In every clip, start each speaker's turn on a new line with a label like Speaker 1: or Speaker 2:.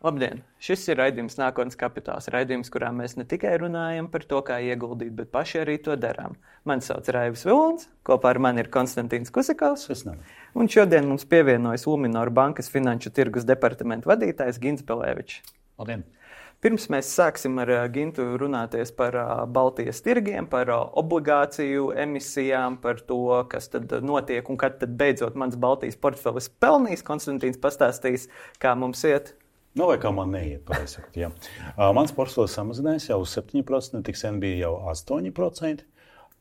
Speaker 1: Labdien! Šis ir raidījums Nākotnes kapitāls. Raidījums, kurā mēs ne tikai runājam par to, kā ieguldīt, bet paši arī to darām. Mani sauc Raivis Vilons, kopā ar mani ir Konstantīns Kusakovs. Un šodien mums pievienojas Luminor bankas finanšu tirgus departamenta vadītājs Gints Pelēvičs.
Speaker 2: Labdien!
Speaker 1: Pirms mēs sāksim ar Gintu runāties par Baltijas tirgiem, par obligāciju emisijām, par to, kas tad notiek un kad tad beidzot mans Baltijas portfelis pelnīs. Konstantīns pastāstīs, kā mums iet.
Speaker 3: Nu, vai kā man neiet, pareizi sakot, jā. Mans portfelis samazinājās jau uz 7%, tik sen bija jau 8%,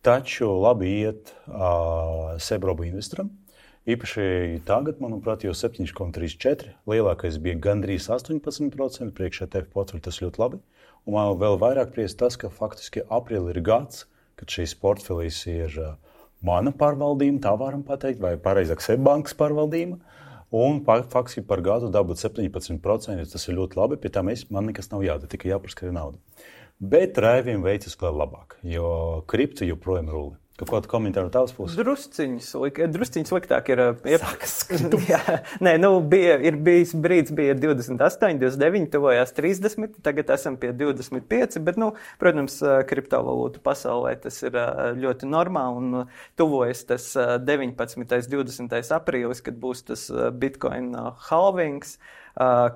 Speaker 3: taču labi iet Sebrobu investoram. Īpaši tagad, manuprāt, jau 7,34%, lielākais bija gandrīz 18%, priekš ETF portfeļi tas ļoti labi. Un man vēl vairāk prieks tas, ka faktiski aprīlī ir gads, kad šīs portfelis ir mana pārvaldība, tā varam pateikt, vai pareizāk Sebbankas pārvaldība. Un faktiski par gadu dabūt 17%, tas ir ļoti labi, pie tā man nekas nav jādara, tikai jāpaskatīt naudu. Bet Raivim veicas vēl labāk, jo kripto joprojām rulli. Kādu komentāru tavas puses?
Speaker 1: Drusciņš sliktāk ir. Ir bijis brīdis, bija 28, 29, tuvojās 30, tagad esam pie 25, bet, protams, kriptovalūtu pasaulē tas ir ļoti normāli un tuvojas tas 19. 20. aprīlis, kad būs tas Bitcoin halvings,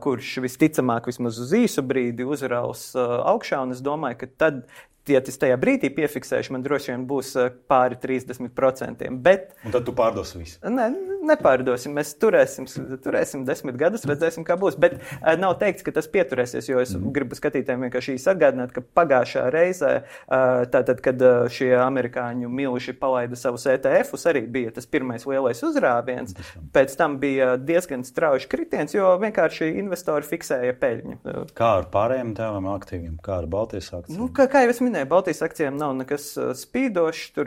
Speaker 1: kurš visticamāk vismaz uz īsu brīdi uzraus augšā, un es domāju, ka tad, ja tas tajā brīdī piefiksēšu, man droši vien būs pāri 30%. Bet,
Speaker 3: un tad tu pārdosi visu?
Speaker 1: Nepārdosim. Mēs turēsim 10 gadus, redzēsim, kā būs. Bet nav teikts, ka tas pieturēsies, jo es gribu skatītājiem vienkārši atgādināt, ka pagājušā reizē, tātad, kad šie amerikāņu milži palaida savus ETF-us, arī bija tas pirmais lielais uzrāviens. Pēc tam bija diezgan strauji kritiens, jo vienkārši investori fiksēja peļņu.
Speaker 3: Kā ar pārējiem tēvām aktīviem? Kā ar Baltijas akcijiem?
Speaker 1: Kā jau es minēju, Baltijas akcijiem nav nekas spīdošs. Tur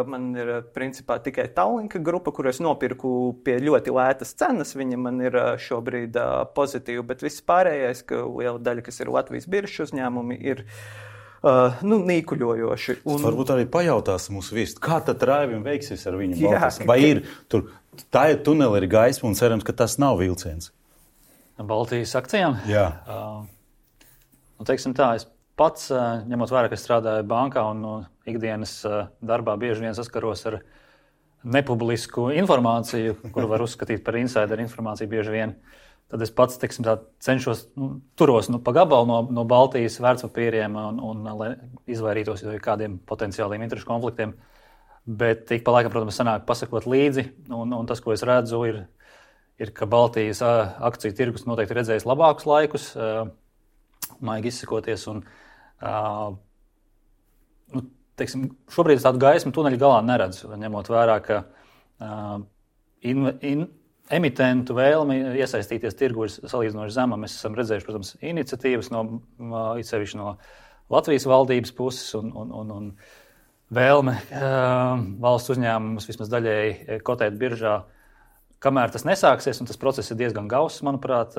Speaker 1: man ir principā tikai Tallinka grupa, kur es nopirku pie ļoti lētas cenas. Viņa man ir šobrīd pozitīva, bet viss pārējais, ka liela daļa, kas ir Latvijas biržas uzņēmumi, ir nīkuļojoši.
Speaker 3: Varbūt arī pajautās mūsu viesi, kā tad Raivim veiksies ar viņu Baltijas? Vai ir tur tā ir tuneli, ir gaisma un cerams, ka tas nav vilciens?
Speaker 2: Baltijas akcijām?
Speaker 3: Jā.
Speaker 2: Teiksim tā, es pats, ņemot vērā, ka strādāju bankā un ikdienas darbā bieži vien saskaros ar nepublisku informāciju, kuru var uzskatīt par insideru informāciju bieži vien, tad es pats, teiksim tā, cenšos, turos pa gabalu no Baltijas vērtspapīriem un lai izvairītos no kādiem potenciāliem interešu konfliktiem. Bet ik pa laikam, protams, sanāk pasakot līdzi, un tas, ko es redzu, ir ka Baltijas akciju tirgus noteikti redzējis labākus laikus, maigi izsakoties, un teiksim, šobrīd tādu gaismu tuneļa galā neredzu, ņemot vērā, ka emitentu vēlmi iesaistīties tirgu ir salīdzinoši zema. Mēs esam redzējuši, protams, iniciatīvas sevišķi no Latvijas valdības puses un vēlme valsts uzņēmumus vismaz daļēji kotēt biržā. Kamēr tas nesāksies, un tas process ir diezgan gauss, manuprāt,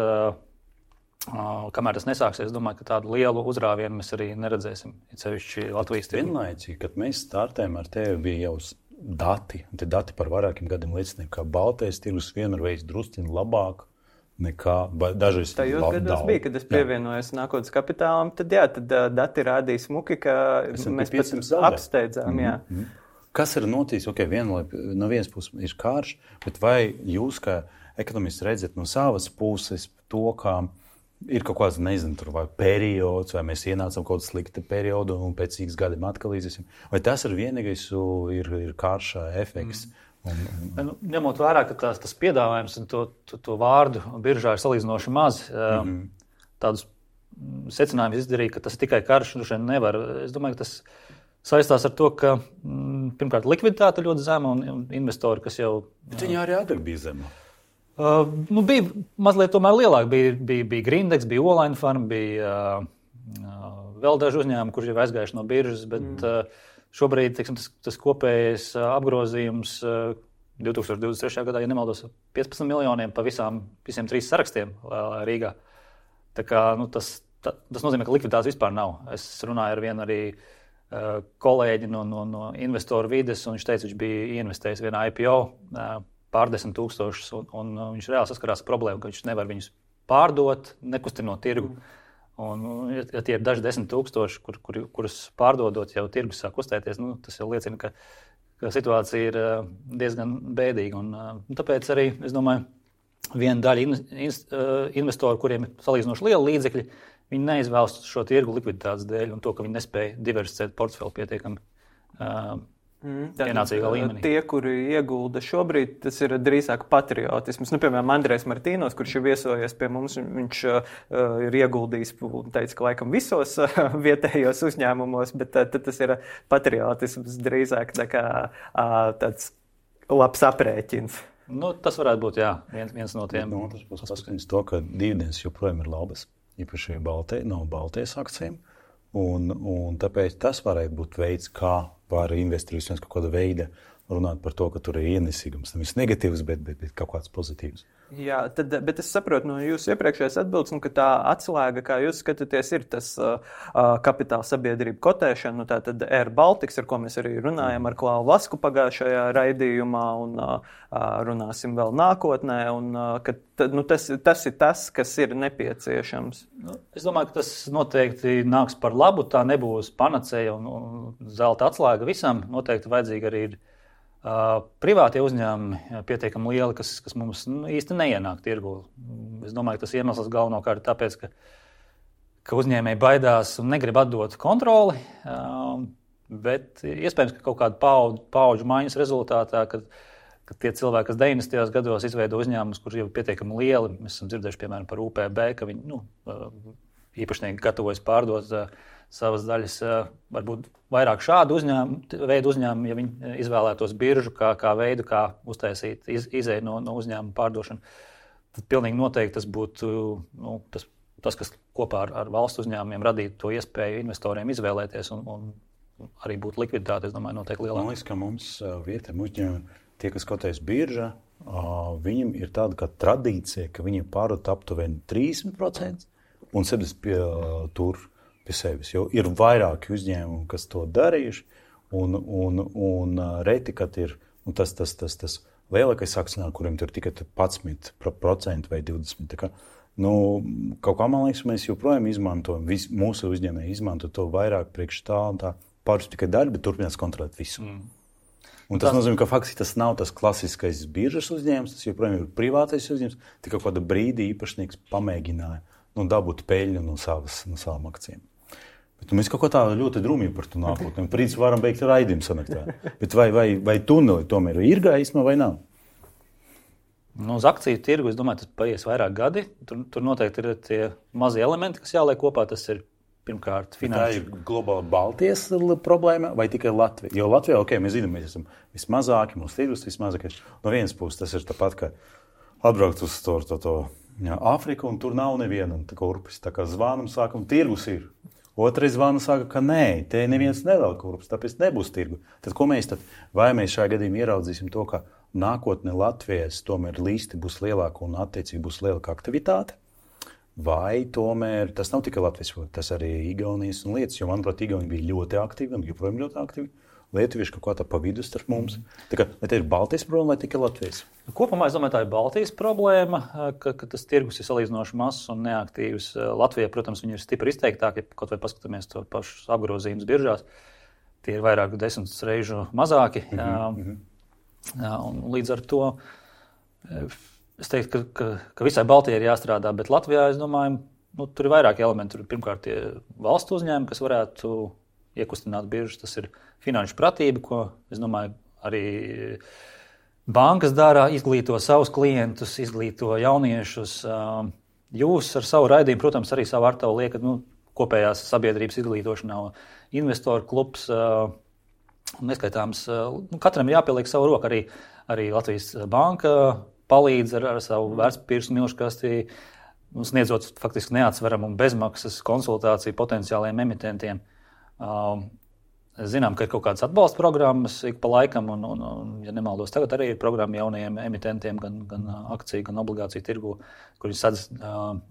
Speaker 2: kamēr tas nesāksies, es domāju, ka tādu lielu uzrāvienu mēs arī neredzēsim, sevišķi Latvijas tirgu.
Speaker 3: Vienlaicīgi, kad mēs startējām ar tevi, bija jau dati, un tie dati par vairākiem gadiem liecināja, ka Baltijas tirgus vienmēr veids drusciņi labāk nekā dažreiz
Speaker 1: tajos gados bija, kad es pievienojos Nākotnes kapitālam, tad dati rādīja smuki, ka mēs pat apsteidzām.
Speaker 3: Kas ir noticis? No vienas puses ir karš, bet vai jūs, kā ekonomisti, redzat no savas puses to, kā ir kaut kāds, nezinu, tur vai periods, vai mēs ienācam kaut kādu sliktu periodu un pēc X gadiem atkal iziesim? Vai tas ir vienīgais, ir karša efekts?
Speaker 2: Ņemot vērā, ka tas piedāvājums un to vārdu biržā ir salīdzinoši maz, tādus secinājumus izdarīja, ka tas tikai karš nevar. Es domāju, ka tas saistās ar to, ka pirmkārt likviditāte ļoti zema un investori, kas jau...
Speaker 3: Bet viņi arī agrāk bija zema.
Speaker 2: Bija mazliet tomēr lielāk. Bija Grindex, bija Olaina Farm, bija vēl daži uzņēmumi, kurš jau aizgājuši no biržas, bet šobrīd, teiksim, tas kopējais apgrozījums 2023. gadā, ja nemaldos, 15 miljoniem pa visiem 3 sarakstiem Rīgā. Tā kā, tas nozīmē, ka likviditātes vispār nav. Es runāju ar vienu arī kolēģi no investoru vides, un viņš teica, viņš bija ieinvestējis vienā IPO pār 10 000, un viņš reāli saskarās ar problēmu, ka viņš nevar viņus pārdot, nekustinot tirgu. Un, ja tie ir daži 10 000, kurus pārdodot, jau tirgus sāk kustēties, tas jau liecina, ka situācija ir diezgan bēdīga. Un tāpēc arī, es domāju, viena daļa investoru, kuriem ir salīdzinoši liela līdzekļi, viņi neizvēlas šo tirgu likviditātes dēļ un to, ka viņi nespēja diversificēt portfeli pietiekami pienācīgā līmenī.
Speaker 1: Tie, kuri iegulda šobrīd, tas ir drīzāk patriotisms. Piemēram, Andrejs Martīnos, kurš ir viesojies pie mums, viņš ir ieguldījis, teica, ka laikam visos vietējos uzņēmumos, bet tad tas ir patriotisms drīzāk tāds labs aprēķins.
Speaker 2: Tas varētu būt, viens no tiem.
Speaker 3: Tas būs paskatījums to, ka dividendes joprojām ir labas, īpaši Baltijas akcijiem, un tāpēc tas varētu būt veids, kā var investori vismaz kaut kāda veida runāt par to, ka tur ir ienesīgums. Nevis negatīvs, bet kaut kāds pozitīvs.
Speaker 1: Jā, bet es saprotu no jūsu iepriekšējās atbildes, ka tā atslēga, kā jūs skatāties, ir tas kapitāla sabiedrība kotēšana, tā tad Air Baltics, ar ko mēs arī runājam ar Klāvu Vasku pagājušajā raidījumā un runāsim vēl nākotnē, un ka tas ir tas, kas ir nepieciešams.
Speaker 2: Es domāju, ka tas noteikti nāks par labu, tā nebūs panacēja un zelta atslēga visam, noteikti vajadzīgi arī ir privātie uzņēmumi pietiekami lieli, kas mums īsti neienāk tirgu. Es domāju, ka tas iemesls galvenokārt ir tāpēc, ka uzņēmēji baidās un negrib atdot kontroli, bet iespējams, ka kaut kāda paudžu maiņas rezultātā, kad tie cilvēki, kas 90. gados izveido uzņēmumus, kurš jau pietiekami lieli, mēs esam dzirdējuši, piemēram, par UPB, ka viņi īpašnieki gatavojas pārdot savas daļas, varbūt vairāk šādu veidu uzņēmumu, ja viņi izvēlētos biržu kā veidu, kā uztaisīt izēju no uzņēmuma pārdošanu, tad pilnīgi noteikti tas būtu tas, kas kopā ar valsts uzņēmumiem radītu to iespēju investoriem izvēlēties un arī būtu likviditāte, es domāju, noteikti lielāka.
Speaker 3: Man liekas, ka mums vietējiem uzņēmumiem, tie, kas kotējas biržā, viņiem ir tāda kā tradīcija, ka viņiem pārdot aptuveni 30% un 70% tur pie sevis. Jo ir vairāki uzņēmumi, kas to darījuši, un reti, kad ir tas lielākais akcionārs, kuriem tur tikai 11% vai 20%. Tā kā, kaut kā, man liekas, mēs joprojām izmantojam, mūsu uzņēmēji izmanto to vairāk priekš tā un tā, pāris tikai daļu, bet turpinās kontrolēt visu. Un tas nozīmē, ka faktiski tas nav tas klasiskais biržas uzņēmums, tas joprojām ir privātais uzņēmums, tikai kāda brīdī īpašnieks pamēģināja dabūt peļņu no savām akcijām. Bet mēs kaut ko tā ļoti drūmīgi par to nākotnē. Principā varam beigt raidījumu sanaktā. Bet vai tuneli tomēr ir gaisma vai nav?
Speaker 2: Uz akciju tirgu, es domāju, tas paies vairāk gadi. Tur noteikti ir tie mazie elementi, kas jāliek kopā. Tas ir pirmkārt finanšu.
Speaker 3: Tā ir globāla Baltijas problēma vai tikai Latvija? Jo Latvijā, mēs zinām, mēs esam vismazāki, mūsu tirgus vismazākais. No vienas puses tas ir tāpat, ka atbraukt uz to Āfriku un tur nav neviena kurpes. Tā kā zvanam sākam, tirgus ir. Otrais zvanu saka, ka nē, te neviens nevēl kurpes, tāpēc nebūs tirgu. Tad ko mēs tad? Vai mēs šajā gadījumā ieraudzīsim to, ka nākotnē Latvijas tomēr līsti būs lielāka un attiecīgi būs lielāka aktivitāte? Vai tomēr tas nav tikai Latvijas, tas arī Igaunijas un lietas, jo, manuprāt, Igauni bija ļoti aktīvi un joprojām ļoti aktīvi. Lietuvieši kaut kā tā pa vidu starp mums. Tā kā, vai te ir Baltijas problēma vai tikai Latvijas?
Speaker 2: Kopumā, es domāju, tā ir Baltijas problēma, ka tas tirgus ir salīdzinoši mazs un neaktīvs. Latvijā, protams, viņi ir stipri izteiktāki, ja kaut vai paskatāmies to pašu apgrozījumus biržās. Tie ir vairāk 10 reižu mazāki. Un līdz ar to es teiktu, ka visai Baltijai ir jāstrādā, bet Latvijā, es domāju, tur ir vairāki elementi. Tur pirmkārt tie valstu uzņēmumi, kas varētu iekustināt biržas, tas ir finanšu pratība, ko, es domāju, arī bankas dara, izglīto savus klientus, izglīto jauniešus. Jūs ar savu raidījumu, protams, arī savu artavu liekat kopējās sabiedrības izglītošanā, investoru klubs, neskaitāms. Katram ir jāpieliek savu roku, arī Latvijas banka palīdz ar savu vērtspapīru smilškasti, sniedzot faktiski neatsveramu un bezmaksas konsultāciju potenciāliem emitentiem. Zinām, ka ir kaut kādas atbalsta programmas ik pa laikam, un ja nemaldos, tagad arī ir programma jaunajiem emitentiem, gan akciju, gan obligāciju tirgu, kur viņi sadz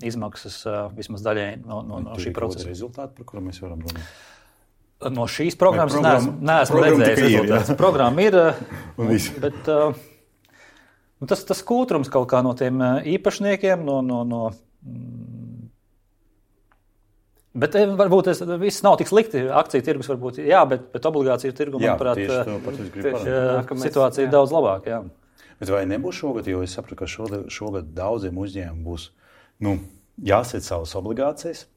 Speaker 2: izmaksas vismaz daļai no šī procesa.
Speaker 3: Rezultāti, par kuru mēs varam runāt?
Speaker 2: No šīs programmas neesmu redzējis rezultātus. Programma ir, bet tas kūtrums kaut kā no tiem īpašniekiem, no Bet varbūt viss nav tik slikti. Akciju tirgus varbūt, bet obligāciju tirgu, manuprāt, situācija ir daudz labāka. Jā.
Speaker 3: Bet vai nebūs šogad, jo es sapratu, ka šogad daudziem uzņēmumiem būs jāsēt savas obligācijas?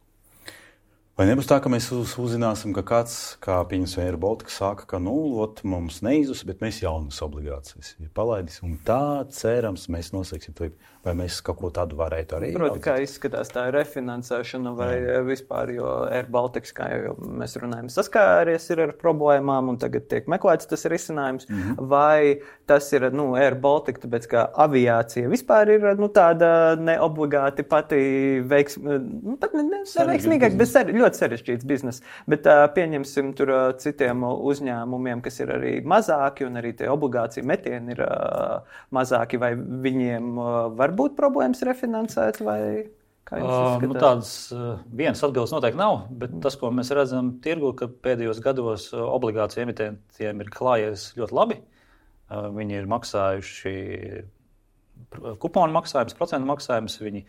Speaker 3: Vai nebūs tā, ka mēs uzzināsim, ka kāds, kā pieņemsim Air Baltica, saka, ka mums neizus, bet mēs jaunas obligācijas palaidīsim. Un tā, cerams, mēs noslēgsim to. Vai mēs kaut ko tādu varētu arī?
Speaker 1: Protams, kā izskatās tā refinansēšana vai vispār, jo Air Baltica, kā jau mēs runājam, saskāries ir ar problēmām un tagad tiek meklēts tas risinājums. Vai tas ir Air Baltica, tāpēc kā aviācija vispār ir tāda neobligāti pati neveiksmīgāk, bet ļoti sarežģīts biznes. Bet pieņemsim tur citiem uzņēmumiem, kas ir arī mazāki un arī tie obligācija metieni ir mazāki, vai viņiem var būt problēmas refinansēt, vai kā jums izskatās?
Speaker 2: Tādas vienas atbildes noteikti nav, bet tas, ko mēs redzam tirgu, ka pēdējos gados obligāciju emitentiem ir klājies ļoti labi. Viņi ir maksājuši kuponu maksājumus, procentu maksājumus, viņi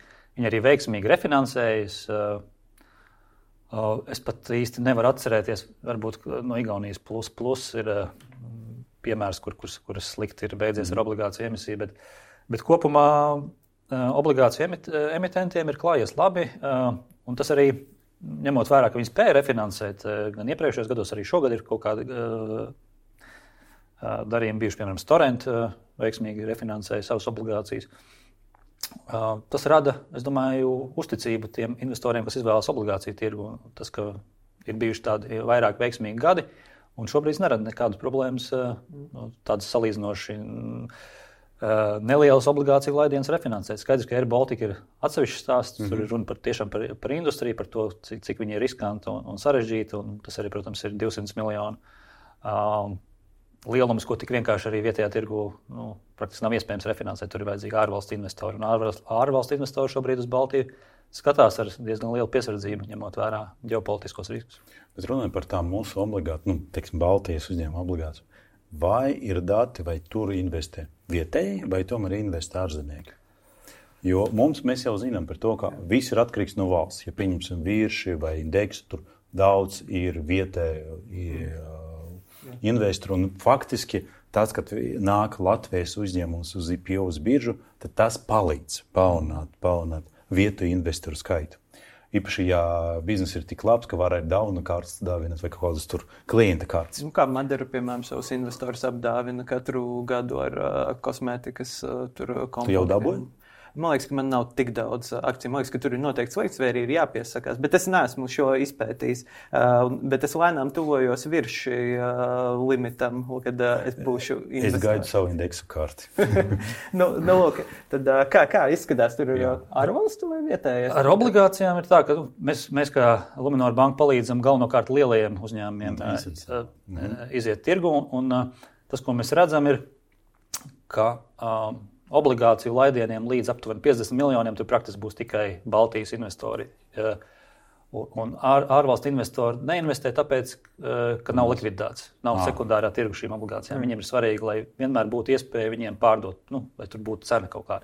Speaker 2: arī veiksmīgi refinansējas. Es pat īsti nevaru atcerēties, varbūt no Igaunijas plus ir piemērs, kuras slikti ir beidzies ar obligāciju emisiju, bet kopumā obligāciju emitentiem ir klājies labi, un tas arī, ņemot vērā, ka viņi spēja refinansēt, gan iepriekšējos gados, arī šogad ir kaut kādi darījumi bijuši, piemēram, Storent veiksmīgi refinansēja savas obligācijas. Tas rada, es domāju, uzticību tiem investoriem, kas izvēlas obligāciju tirgu. Tas, ka ir bijuši tādi vairāk veiksmīgi gadi, un šobrīd nerada nekādas problēmas, tādas salīdzinoši nelielas obligāciju laidienas refinansēt. Skaidrs, ka Air Baltica ir atsevišķs stāsts, tur ir runa par industriju, par to, cik viņi ir riskanti un sarežģīti, un tas arī, protams, ir 200 miljonu lielums, ko tik vienkārši arī vietējā tirgu praktiski nav iespējams refinansēt. Tur ir vajadzīgi ārvalstu investori, un ārvalstu investori šobrīd uz Baltiju skatās ar diezgan lielu piesardzību, ņemot vērā ģeopolitiskos riskus.
Speaker 3: Bet runājot par tām mūsu obligācijām, Baltijas uzņēmuma obligācijām, vai ir dati, vai tur investē vietēji, vai tomēr investē ārzemnieki? Jo mēs jau zinām par to, ka viss ir atkarīgs no valsts. Ja pieņemsim Virši vai Indeksu, tur daudz ir vietēji investori. Un faktiski tas, kad nāk Latvijas uzņēmums uz IPO uz biržu, tad tas palīdz palielināt vietu investoru skaitu. Īpaši, ja biznesa ir tik labs, ka var arī dauna kārtas dāvināt vai kaut kādas tur klienta kārtas.
Speaker 1: Kā Madara, piemēram, savus investorus apdāvina katru gadu ar kosmētikas komplektiem.
Speaker 3: Tu jau dabūji?
Speaker 1: Man liekas, ka man nav tik daudz akciju. Man liekas, ka tur ir noteikti slikts, vai arī ir jāpiesakās. Bet es neesmu šo izpētījis. Bet es lēnām tuvojos Virši limitam, kad es būšu investors.
Speaker 3: Es gaidu savu indeksu karti.
Speaker 1: Lūk, tad kā izskatās? Tur ir ārvalstu vai vietējais?
Speaker 2: Ar obligācijām ir tā, ka mēs kā Luminor banka palīdzam galvenokārt lielajiem uzņēmumiem iziet tirgu. Un tas, ko mēs redzam, ir, ka obligāciju laidieniem līdz aptuveni 50 miljoniem tur praktiski būs tikai Baltijas investori. Un ārvalstu investori neinvestē tāpēc, ka nav likviditātes, nav sekundārā tirgu šīm obligācijām. Viņiem ir svarīgi, lai vienmēr būtu iespēja viņiem pārdot, lai tur būtu cena kaut kāda.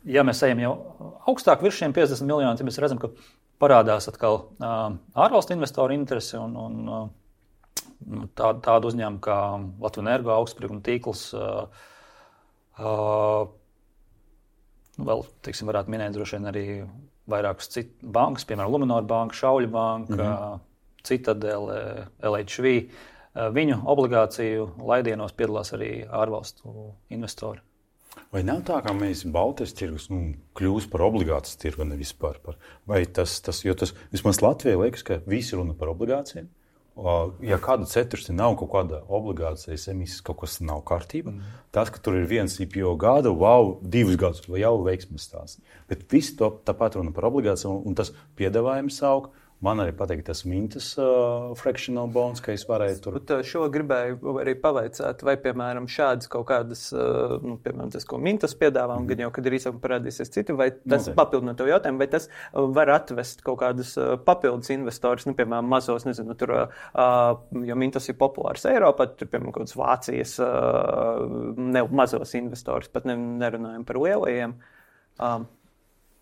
Speaker 2: Ja mēs ejam jau augstāk virs šiem 50 miljoniem, tad mēs redzam, ka parādās atkal ārvalstu investoru interesi un tādu uzņēmumu kā Latvijas Energo, Augstsprieguma tīkls, vēl, varētu minēt droši vien arī vairākas citas bankas, piemēram, Luminor banka, Šauļu banka, Citadele, LHV. Viņu obligāciju laidienos piedalās arī ārvalstu investori.
Speaker 3: Vai nav tā, ka mēs Baltijas tirgus kļūst par obligācijas tirgu, nevis par? Vai tas, jo tas vismaz Latvijai liekas, ka visi runa par obligācijām? Ja kāda cetursti nav kaut kāda obligācijas emisijas, kaut kas nav kārtība, tas, ka tur ir viens IPO gada, 2 gadus, jau veiksmes stāsts. Bet visi to tāpat runa par obligācijām, un tas piedāvājums aug. Man arī patīk tas mintas fractional bonds, ka es varēju tur.
Speaker 1: Bet šo gribēju arī pavaicāt, vai, piemēram, šādas kaut kādas, piemēram, tas, ko mintas piedāvā, un gan jau, kad arī parādīsies citi, vai tas papildinot tev jautājumu, vai tas var atvest kaut kādus papildus investorus, piemēram, mazos, nezinu, tur, jo mintas ir populārs Eiropā, tur, piemēram, kaut kādas Vācijas mazos investorus, pat nerunājam par lielajiem.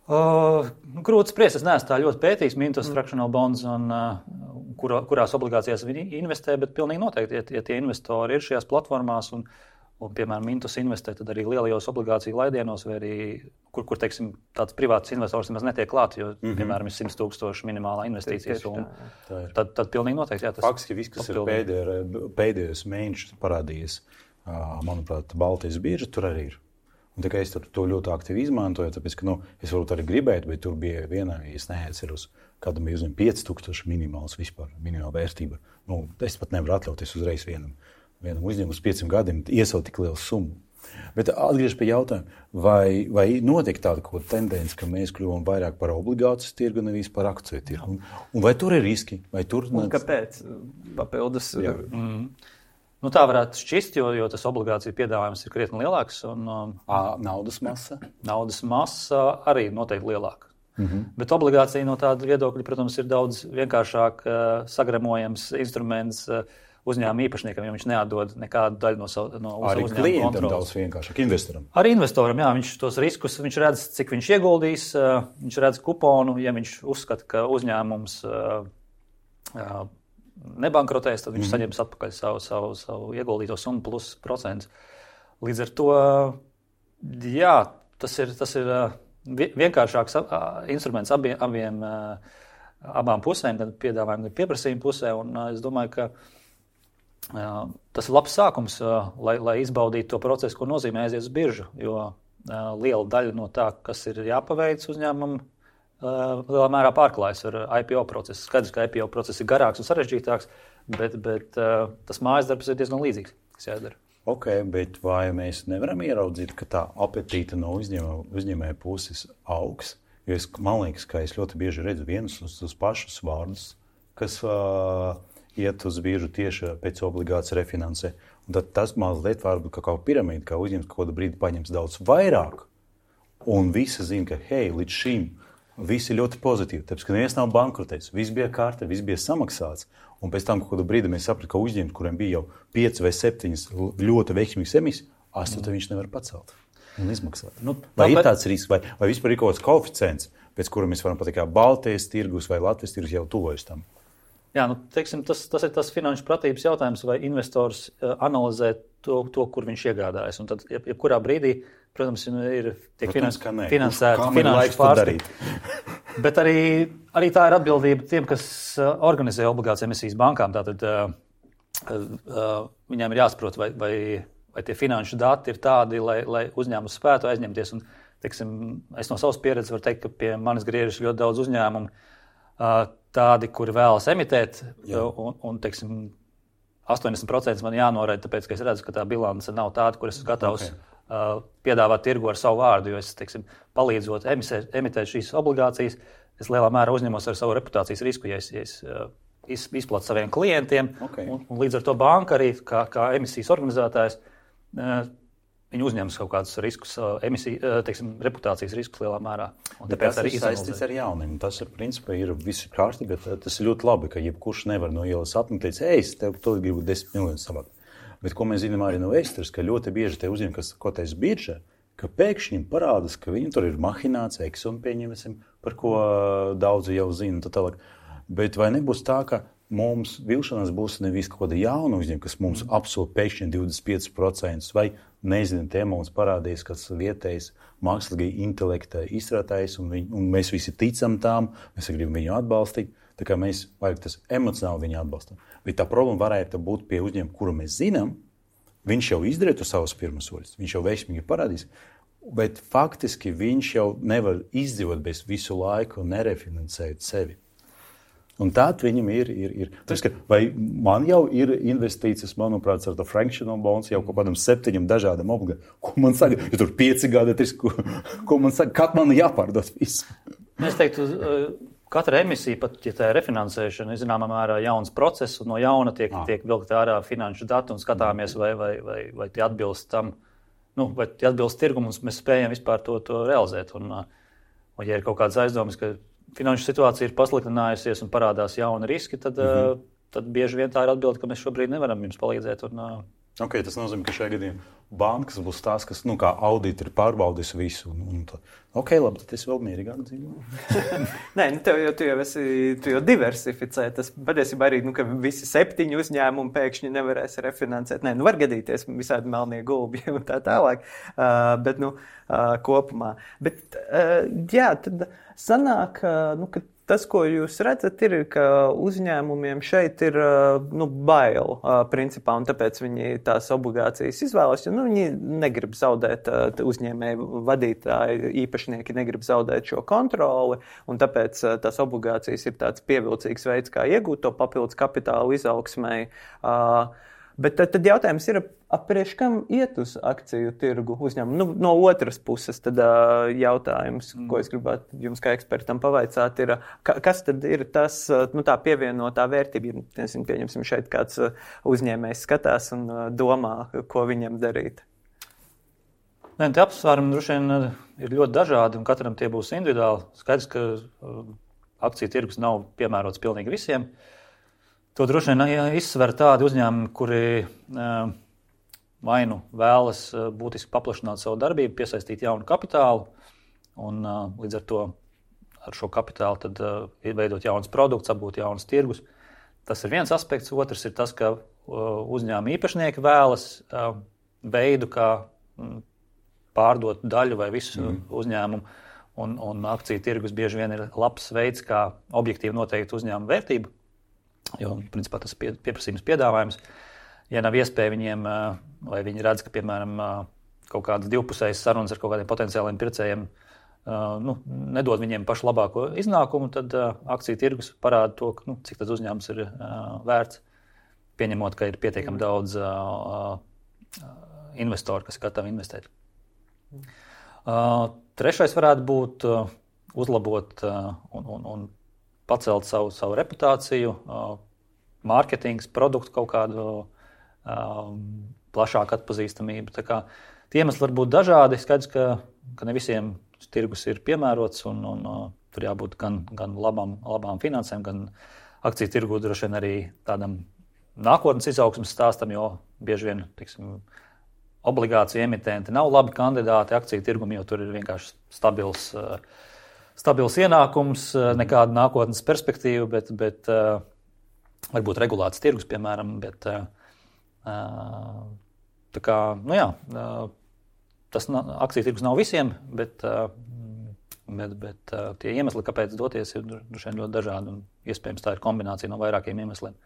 Speaker 2: Grūti spriest, es neesmu tā ļoti pētījis Mintos fractional bonds, un, kurās obligācijās viņi investē, bet pilnīgi noteikti, ja tie investori ir šajās platformās un piemēram, Mintos investē, tad arī lielajos obligāciju laidienos, vai arī, kur teiksim, tāds privāts investors nemaz netiek klāt, jo, piemēram, ir 100,000 minimālā investīcijas summa. Tad pilnīgi noteikti, jā, tas
Speaker 3: faktiski viss, kas ir pēdējos mēnešus parādījies, manuprāt, Baltijas birža, tur arī ir. Un tā kā es to ļoti aktīvi izmantoju, tāpēc, ka, es varbūt arī gribētu, bet tur bija vienā, ja es neatceros, kādam bija uzņem 5,000 minimāls vispār, minimāla vērtība. Es pat nevaru atļauties uzreiz vienam uzņēmumu uz 5 gadiem iesaukt tik lielu summu. Bet atgriež pie jautājuma, vai notiek tāda kaut kāda tendence, ka mēs kļuvam vairāk par obligācijas tirgu, nevis par akciju tirgu? Un vai tur ir riski?
Speaker 1: Un kāpēc? Papildus.
Speaker 2: Tā varētu šķist, jo tas obligāciju piedāvājums ir krietni lielāks. Un,
Speaker 3: naudas masa?
Speaker 2: Naudas masa arī noteikti lielāka. Bet obligācija no tāda viedokļa, protams, ir daudz vienkāršāk sagremojams instruments uzņēmuma īpašniekam, jo viņš neatdod nekādu daļu no uzņēmuma kontroles.
Speaker 3: Arī klientam daudz vienkāršāk, investoram.
Speaker 2: Arī investoram, jā, viņš tos riskus, viņš redz, cik viņš ieguldīs, viņš redz kuponu, ja viņš uzskata, ka uzņēmums nebankrotēs, tad viņš saņems atpakaļ savu ieguldīto summu plus procents. Līdz ar to, jā, tas ir vienkāršāks instruments abām pusēm, gan piedāvājumu, gan pieprasījumu pusē, un es domāju, ka tas ir labs sākums, lai izbaudītu to procesu, ko nozīmē aiziet uz biržu, jo liela daļa no tā, kas ir jāpaveic uzņēmumam, lielā mērā pārklājas ar IPO procesu. Skaidrs, ka IPO process ir garāks un sarežģītāks, bet tas mājas darbs ir diezgan līdzīgs, kas jādara.
Speaker 3: Ok, bet vai mēs nevaram ieraudzīt, ka tā apetīte no uzņēmēja puses augs? Jo man liekas, ka es ļoti bieži redzu vienus uz pašus vārdus, kas iet uz biržu tieši pēc obligācijas refinansē. Un tad tas mazliet varbūt kā piramīda, kā uzņēmums kaut kādu brīdi paņems daudz vairāk. Un visi zina, ka hei, līdz šim viss ir ļoti pozitīvi. Tāpēc, ka neviens nav bankrotēts, viss bija kārta, viss bija samaksāts. Un pēc tam kaut kādu brīdi mēs sapratu, ka uzņēmums, kuriem bija jau 5 vai 7 ļoti veiksmīgas emisijas, 8 viņš nevar pacelt un izmaksāt. Vai ir tāds risks, vai vispār ir kaut kāds koeficients, pēc kura mēs varam pateikt, kā Baltijas tirgus vai Latvijas tirgus jau tuvojas tam?
Speaker 2: Jā, teiksim, tas ir tas finanšu pratības jautājums, vai investors analizē to, kur viņš iegādājas. Un tad, jebkurā brīdī, protams, tiek finansēta finanšu pārskata. Bet arī tā ir atbildība tiem, kas organizē obligāciju emisijas bankām. Tātad viņiem ir jāsaprot, vai tie finanšu dati ir tādi, lai uzņēmums spētu aizņemties. Un, teiksim, es no savas pieredzes varu teikt, ka pie manis griežas ļoti daudz uzņēmumu, tādi, kuri vēlas emitēt, un teiksim, 80% man jānoraida, tāpēc, ka es redzu, ka tā bilance nav tāda, kur es esmu gatavs piedāvāt tirgu ar savu vārdu, jo es, teiksim, palīdzot emitēt šīs obligācijas, es lielā mērā uzņemos ar savu reputācijas risku, ja es izplatu saviem klientiem, un līdz ar to banka arī, kā emisijas organizētājs, viņi uzņemas kaut kādus riskus, reputācijas riskus lielā mērā. Un
Speaker 3: tāpēc arī saistīts ar jauniem. Tas ir, principā, ir visi kārtībā, bet tas ir ļoti labi, ka jebkurš nevar no ielas apmetēt, es tev to gribu 10 miljonus savākt. Bet ko mēs zinām arī no vēstures, ka ļoti bieži tie uzņēmumi, kas kotēs biržā, ka pēkšņi parādās, ka viņi tur ir mahinācija, eksumi pieņemsim, par ko daudzi jau zina. Tālāk. Bet vai nebūs tā, ka mums vilšanās būs nevis kaut kāda jauna uzņēmuma, kas mums apsola pēkšņi 25%, vai nezinu, te mums parādīs kāds vietējs mākslīgā intelekta izstrādājs, un mēs visi ticam tām, mēs gribam viņu atbalstīt, tā kā mēs vajag tas emocionāli viņu atbalstam. Bet tā problēma varētu būt pie uzņēmuma, kuru mēs zinām, viņš jau izdarītu savus pirmos soļus, viņš jau veiksmīgi parādīs, bet faktiski viņš jau nevar izdzīvot bez visu laiku nerefinansēt sevi. Un tād viņam ir. Vai man jau ir investīcijas, manuprāt, ar to fractional bonds jau kaut kādam 7 dažādam obligācijām. Ko man saka? Ja tur 5 gadi, ko man saka? Kad man jāpārdod visu?
Speaker 2: Es teiktu, katra emisija, pat ja tā ir refinansēšana, ir zināmā mērā jauns process, un no jauna tiek vilkt ārā finanšu dati un skatāmies, vai tie atbilst tam, vai tie atbilst tirgumu, un mēs spējam vispār to realizēt. Un ja ir kaut kāds aizdomas, ka finanšu situācija ir pasliktinājusies un parādās jauni riski, tad bieži vien tā ir atbilde, ka mēs šobrīd nevaram jums palīdzēt. Un,
Speaker 3: Okay, tas nozīmē, ka šajā gadījumā bankas būs tās, kas kā auditori pārbaudīs visu. Ok, labi, tad es vēl mierīgāk dzīvoju.
Speaker 1: Nē, tu jau diversificē. Tas patiesībā arī, ka visi 7 uzņēmumi pēkšņi nevarēs refinansēt. Nē, var gadīties visādi melnie gulbi un tā tālāk. Bet, kopumā. Bet, jā, tad sanāk, ka tas, ko jūs redzat, ir, ka uzņēmumiem šeit ir bail, principā, un tāpēc viņi tās obligācijas izvēlas, jo viņi negrib zaudēt, uzņēmēju vadītāji, īpašnieki negrib zaudēt šo kontroli, un tāpēc tās obligācijas ir tāds pievilcīgs veids, kā iegūt to papildus kapitālu izaugsmai. Bet tad jautājums ir, priekš kam iet uz akciju tirgu uzņēmumu? No otras puses tad jautājums, ko es gribētu jums kā ekspertam pavaicāt, ir, kas tad ir tas, tā pievienotā vērtība? Nezinu, pieņemsim šeit kāds uzņēmējs skatās un domā, ko viņam darīt.
Speaker 2: Nē, tie apsvērumi droši vien ir ļoti dažādi, un katram tie būs individuāli. Skaidrs, ka akciju tirgus nav piemērots pilnīgi visiem. To droši vien izsver tādi uzņēmumi, kuri vai nu vēlas būtiski paplašināt savu darbību, piesaistīt jaunu kapitālu, un līdz ar to ar šo kapitālu tad veidot jaunas produktus, apgūt jaunas tirgus. Tas ir viens aspekts. Otrs ir tas, ka uzņēmuma īpašnieki vēlas veidu, kā pārdot daļu vai visu uzņēmumu, un akciju tirgus bieži vien ir labs veids, kā objektīvi noteikt uzņēmuma vērtību. Jo, principā, tas ir pieprasījums piedāvājums. Ja nav iespēja viņiem, vai viņi redz, ka, piemēram, kaut kādas divpusējas sarunas ar kaut kādiem potenciāliem pircējiem nedod viņiem pašu labāko iznākumu, tad akciju tirgus parāda to, cik tas uzņēmums ir vērts, pieņemot, ka ir pietiekami daudz investoru, kas ir gatavi investēt. Trešais varētu būt uzlabot un pacelt savu reputāciju, mārketings, produktu kaut kādu plašāku atpazīstamību. Tā kā tie iemesli var būt dažādi. Skaidrs, ka ne visiem tirgus ir piemērots, un tur jābūt gan labām finansēm, gan akciju tirgu droši vien arī tādam nākotnes izaugsmes stāstam, jo bieži vien, obligāciju emitenti nav labi kandidāti akciju tirgumu, jo tur ir vienkārši stabils ienākums, nekāda nākotnes perspektīva, bet varbūt regulēts tirgus, piemēram, bet tā kā, tas akciju tirgus nav visiem, bet tie iemesli, kāpēc doties, ir droši vien ļoti dažādi, un iespējams tā ir kombinācija no vairākiem iemesliem.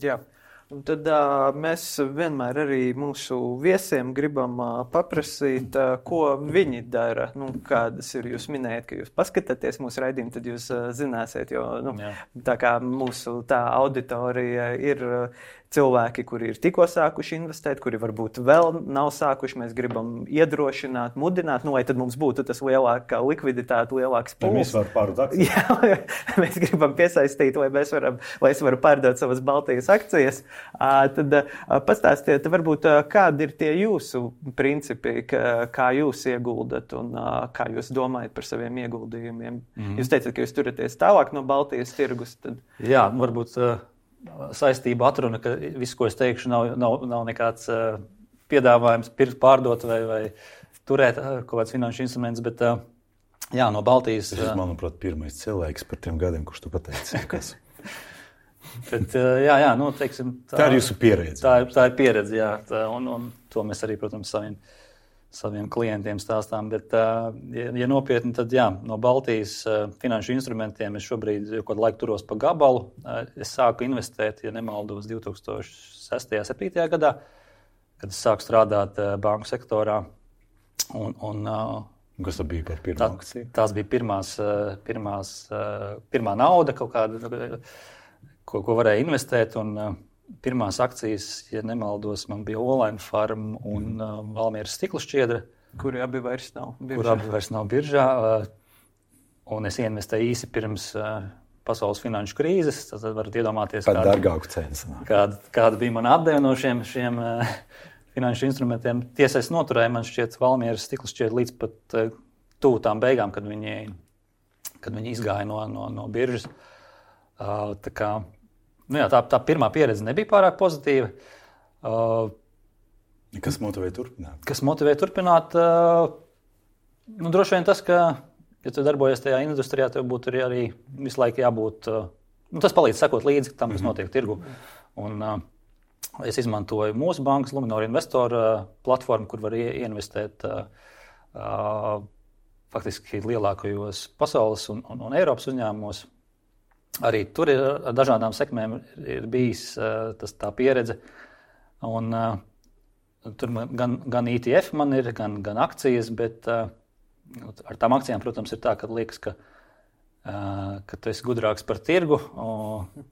Speaker 1: Jā. Un tad mēs vienmēr arī mūsu viesiem gribam paprasīt, ko viņi dara. Kādas ir, jūs minējat, ka jūs paskatāties mūsu raidījumu, tad jūs zināsiet, jo tā kā mūsu tā auditorija ir cilvēki, kuri ir tikko sākuši investēt, kuri varbūt vēl nav sākuši. Mēs gribam iedrošināt, mudināt, lai tad mums būtu tas lielākā likviditāte, lielāks pūls.
Speaker 3: Mēs varam pārdot akcijas.
Speaker 1: Jā, mēs gribam piesaistīt, lai es varu pārdot savas Baltijas akcijas. Tad pastāstiet, varbūt, kādi ir tie jūsu principi, kā jūs ieguldat un kā jūs domājat par saviem ieguldījumiem. Jūs teicat, ka jūs turaties tālāk no Baltijas tirgus. Tad...
Speaker 2: Jā, varbūt saistība atruna, ka viss, ko es teikšu, nav nekāds piedāvājums pirkt, pārdot vai turēt kaut kāds finanšu instruments, bet jā, no Baltijas...
Speaker 3: Tas, manuprāt, pirmais cilvēks par tiem gadiem, kurš tu pateici. Kas?
Speaker 2: Bet, jā, teiksim...
Speaker 3: Tā ir jūsu pieredze.
Speaker 2: Tā ir pieredze, jā. Un to mēs arī, protams, saviem klientiem stāstām. Bet, ja nopietni, tad jā, no Baltijas finanšu instrumentiem es šobrīd jau kādu laiku turos pa gabalu. Es sāku investēt, ja nemaldos, 2006.-2007. gadā, kad es sāku strādāt banku sektorā.
Speaker 3: Kas tas bija par pirmā akciju?
Speaker 2: Tās bija pirmā nauda, kaut kāda, ko varēja investēt. Un pirmās akcijas, ja nemaldos, man bija Olaina Farm un Valmieras stikla šķiedra.
Speaker 1: Kuri abi vairs nav
Speaker 2: biržā. Un es investēju īsi pirms pasaules finanšu krīzes. Tad varat iedomāties, kāda bija mana atdeve no šiem finanšu instrumentiem. Tiesa, es noturēju, man šķiet, Valmieras stikla šķiedra līdz pat tuvu tām beigām, kad viņi izgāja no biržas. Tā kā... tā pirmā pieredze nebija pārāk pozitīva.
Speaker 3: Kas motivē turpināt?
Speaker 2: Kas motivē turpināt? Droši vien tas, ka, ja tu darbojies tajā industrijā, tev būtu arī visu laiku jābūt. Tas palīdz sekot līdzi tam, kas notiek tirgu. Un es izmantoju mūsu bankas Luminor Investor platformu, kur var ieinvestēt faktiski lielākajos pasaules un Eiropas uzņēmumos. Arī tur ir ar dažādām sekmēm ir bijis tā pieredze. Un tur gan ETF man ir, gan akcijas, bet ar tām akcijām, protams, ir tā, ka liekas, ka tu esi gudrāks par tirgu,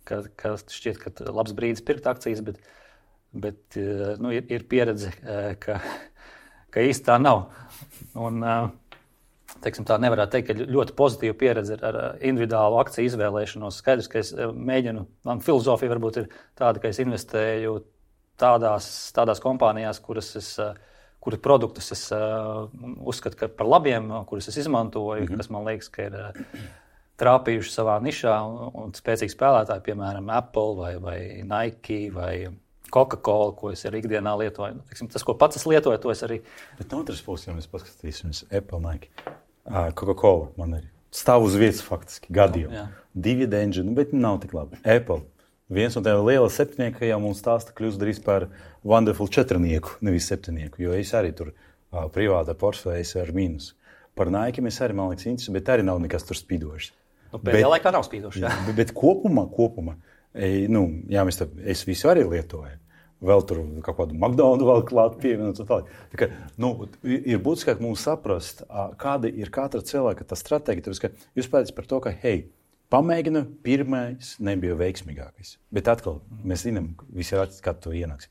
Speaker 2: ka šķiet, ka labs brīdis pirkt akcijas, bet ir pieredze, ka īsti tā nav. Un, teiksim, tā nevarētu teikt, ka ļoti pozitīva pieredze ar individuālu akciju izvēlēšanos. Skaidrs, ka es mēģinu, man filozofija varbūt ir tāda, ka es investēju tādās kompānijās, kuru produktus es uzskatu par labiem, kurus es izmantoju, kas man liekas, ka ir trāpījuši savā nišā un spēcīgi spēlētāji, piemēram, Apple vai Nike vai Coca-Cola, ko es arī ikdienā lietoju. Teiksim, tas, ko pats es lietoju, to es arī...
Speaker 3: Bet no otras puses, ja mēs paskatīsimies Apple, Nike, Coca-Cola man ir stāv uz vietas faktiski gadiem. Dividendi, bet nav tik labi. Apple, viens no tiem liela septinieku, jau mums stāsta kļūst drīz par wonderful četrnieku, nevis septinieku, jo es arī tur privātā portfējas ar mīnus. Par Nike mēs arī, man liekas, interesanti, bet arī nav nekas tur spīdošs.
Speaker 2: Pēdējā laikā nav spīdošs, jā.
Speaker 3: Bet kopumā, es visu arī lietoju. Vēl tur kaut kādu McDonald's vēl klāt pievienot. Tā kā, ir būtiski, ka mums saprast, kāda ir katra cilvēka tā stratēģija. Jūs pēdējat par to, ka, pamēģinu, pirmais nebija veiksmīgākais. Bet atkal, mēs zinām, visi ir atcīt, kad to ienāks.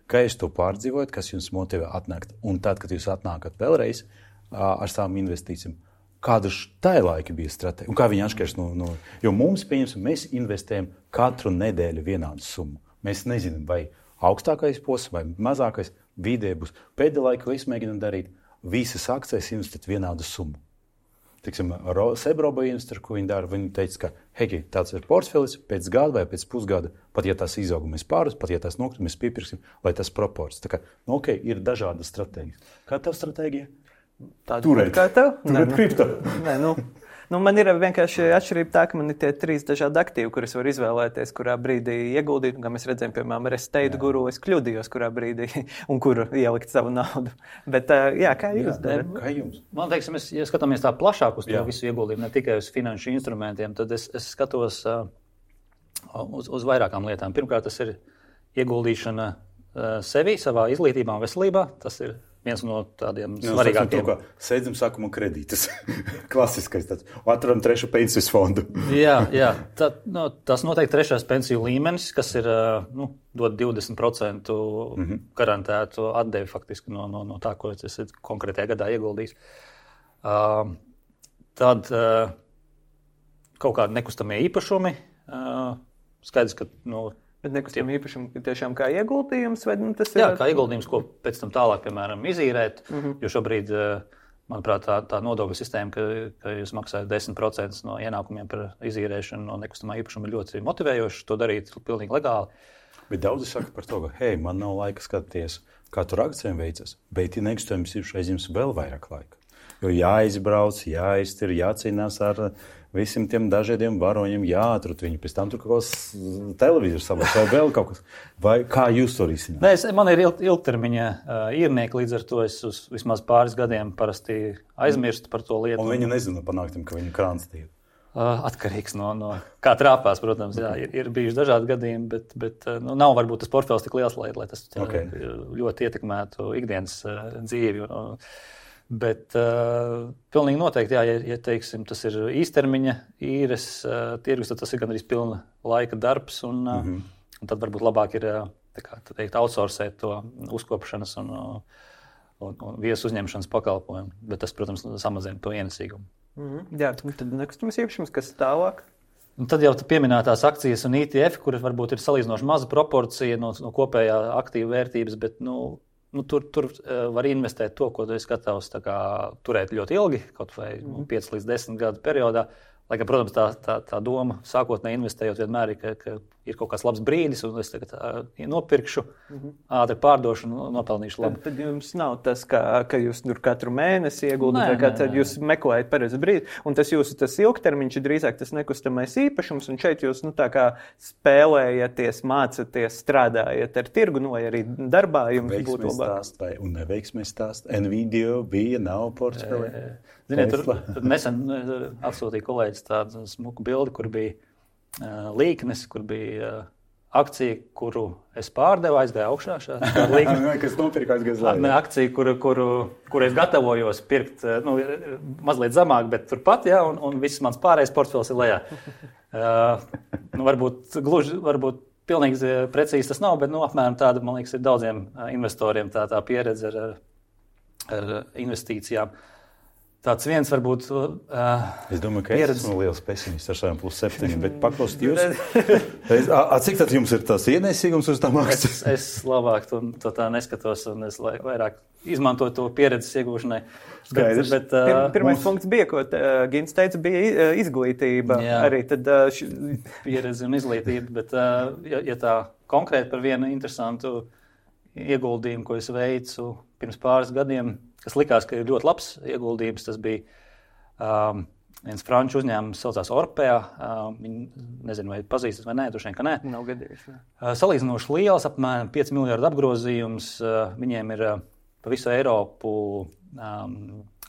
Speaker 3: Kā jūs to pārdzīvojat, kas jums motivē atnākt? Un tad, kad jūs atnākat vēlreiz ar savām investīcijām, kāda tā laika bija stratēģija? Un kā viņi atšķiras no... Jo mums, pieņemsim, mēs investējam katru nedēļu vienādu summu. Mēs nezinām, vai augstākais posms vai mazākais vidē būs. Pēdējā laikā es mēģinu darīt visas akcijas investēt vienādu summu. Tiksim, Sebroba investori, ko viņi dara, viņi teica, ka tāds ir portfelis pēc gada vai pēc pusgada, pat ja tās izaug, mēs pāris, pat ja tās nokrit, mēs piepirksim, lai tas proports. Tā kā, ir dažādas stratēģijas. Kā tev stratēģija?
Speaker 1: Turēt. Kā tev?
Speaker 3: Turēt kripto.
Speaker 1: Man ir vienkārši atšķirība tā, ka man ir tie 3 dažādi aktīvi, kurus var izvēlēties, kurā brīdī ieguldīt. Kā mēs redzējām, piemēram, ar Estate Guru, es kļūdījos, kurā brīdī un kur ielikt savu naudu. Bet, kā jūs darat?
Speaker 3: Kā jums?
Speaker 2: Man teiksim, ja skatāmies tā plašāk uz to visu ieguldījumu, ne tikai uz finanšu instrumentiem, tad es skatos uz vairākām lietām. Pirmkārt, tas ir ieguldīšana sevi, savā izglītībā un veselībā. Tas ir viens no tādiem svarīgākiem.
Speaker 3: Sēdzam sākuma kredītas. Klasiskais tāds. Atveram 3. pensijas fondu.
Speaker 2: Jā. Tas noteikti 3. pensiju līmenis, kas ir dod 20% garantētu atdevi faktiski no tā, ko es konkrētajā gadā ieguldījis. Tad kaut kādi nekustamie īpašumi. Skaidrs, ka...
Speaker 1: Bet nekustamie īpašumi tiešām kā ieguldījums? Vai tas ir?
Speaker 2: Jā, kā ieguldījums, ko pēc tam tālāk, piemēram, izīrēt. Jo šobrīd, manuprāt, tā nodokļu sistēma, ka jūs maksājat 10% no ienākumiem par izīrēšanu no nekustamā īpašuma ir ļoti motivējoši to darīt pilnīgi legāli.
Speaker 3: Bet daudzi saka par to, ka, man nav laika skatīties, kā tur akcijiem veicas, bet ja nekustamības īpašums aizņems vēl vairāk laika. Jo jāizbrauc, jāiztir, jācīnās ar visiem tiem dažādiem varoņiem, jāatrut viņu, pēc tam tur kaut kas televizors sabās, vai vēl kaut kas. Vai kā jūs to risināt?
Speaker 2: Man ir ilgtermiņa īrnieki, līdz ar to es uz vismaz pāris gadiem parasti aizmirstu par to lietu.
Speaker 3: Un viņi nezina panāktam, ka viņu krāns tīri.
Speaker 2: Atkarīgs no kā trāpās, protams, jā, ir bijuši dažādi gadījumi, bet nav varbūt tas portfels tik liels, lai tas ļoti ietekmētu ikdienas dzīvi. Bet pilnīgi noteikti, ja teiksim, tas ir īstermiņa īres tirgus, tad tas ir gandrīz pilna laika darbs, un tad varbūt labāk ir outsourcēt to uzkopšanas un viesu uzņemšanas pakalpojumu. Bet tas, protams, samazina to ienesīgumu.
Speaker 1: Jā, tad nekustamies īpašums, kas tālāk?
Speaker 2: Un tad jau pieminētās akcijas un ETF, kuras varbūt ir salīdzinoši maza proporcija no kopējā aktīva vērtības, bet tur var investēt to, ko tu esi gatavs turēt ļoti ilgi, kaut vai 5 līdz 10 gadu periodā, Lai gan, protams, tā doma sākotnēji investējot vienmēr ir, ka ir kaut kāds labs brīdis, un es tagad nopirkšu, ātri pārdošu un nopelnīšu labu.
Speaker 1: Tad jums nav tas, ka jūs tur katru mēnesi ieguldat, vai kā tad jūs meklējat pareizi brīdi, un tas jūsu tas ilgtermiņš ir drīzāk tas nekustamais īpašums, un šeit jūs tā kā spēlējaties, mācaties, strādājat ar tirgu, vai arī darbā jums būtu labāk.
Speaker 3: Un neveiksmēs stāst. Nvidia bija, nav portfelī.
Speaker 2: Ziniet, tur nesen atsūtīja kolēģis tādu smuku bildi, kur bija līknes, kur bija akcija, kuru es pārdevu, aizgāju augšā.
Speaker 3: Kas nopirka aizgājas lejā?
Speaker 2: Ne, akcija, kuru es gatavojos pirkt, mazliet zemāk, bet turpat, ja, un viss mans pārējais portfels ir lejā. Varbūt pilnīgi precīzi tas nav, bet apmēram tāda, man liekas, ir daudziem investoriem tā pieredze ar investīcijām. Tāds viens varbūt
Speaker 3: es domāju, ka es esmu liels pesimists ar saviem +7, bet paklaust jūs. Cik tad jums ir tās ienesīgums uz tām akcijas?
Speaker 2: Es labāk to tā neskatos, un es vairāk izmantoju to pieredzes iegūšanai.
Speaker 3: Skaidrs.
Speaker 1: Pirmais punkts bija, ko Gins teica, bija izglītība. Jā. Arī tad
Speaker 2: pieredze un izglītība, bet ja tā konkrēti par vienu interesantu ieguldījumu, ko es veicu pirms pāris gadiem, kas likās, ka ir ļoti labs ieguldījums. Tas bija viens franču uzņēmums, saucās Orpea. Viņi, nezinu, vai pazīstat vai nē, droši vien, ka nē.
Speaker 1: Nav gadījis.
Speaker 2: Salīdzinoši liels, apmēram 5 miljardu apgrozījums. Viņiem ir pa visu Eiropu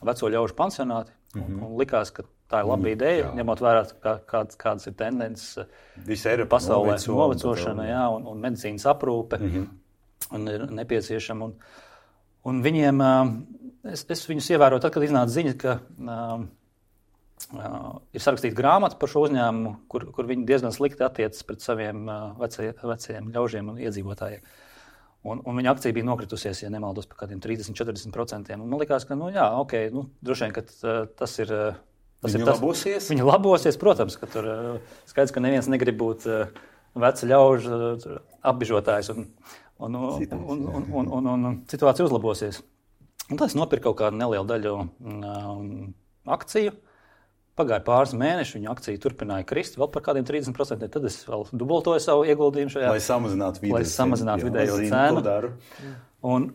Speaker 2: veco ļaužu pansionāti. Un likās, ka tā ir laba ideja, ņemot vērā, kādas ir tendences pasaulē. Novecošana, jā, un medicīnas aprūpe. Un ir nepieciešama. Un viņiem, es viņus ievēroju tad, kad iznāca ziņa, ka ir sarakstīta grāmata par šo uzņēmumu, kur viņi diezgan slikti attiecas pret saviem vecajiem ļaužiem un iedzīvotājiem. Un viņa akcija bija nokritusies, ja nemaldos, par kādiem 30-40%. Un man likās, ka, droši vien, ka tas ir...
Speaker 3: labosies?
Speaker 2: Viņa labosies, protams, ka tur skaidrs, ka neviens negrib būt veca ļaužu apbižotājs un situācija uzlabosies. Un tad es nopirku kaut kādu nelielu daļu akciju. Pagāja pāris mēneši, viņa akcija turpināja krist vēl par kādiem 30%. Tad es vēl dubultoju savu ieguldījumu šajā.
Speaker 3: Lai samazinātu
Speaker 2: vidējo cenu. Un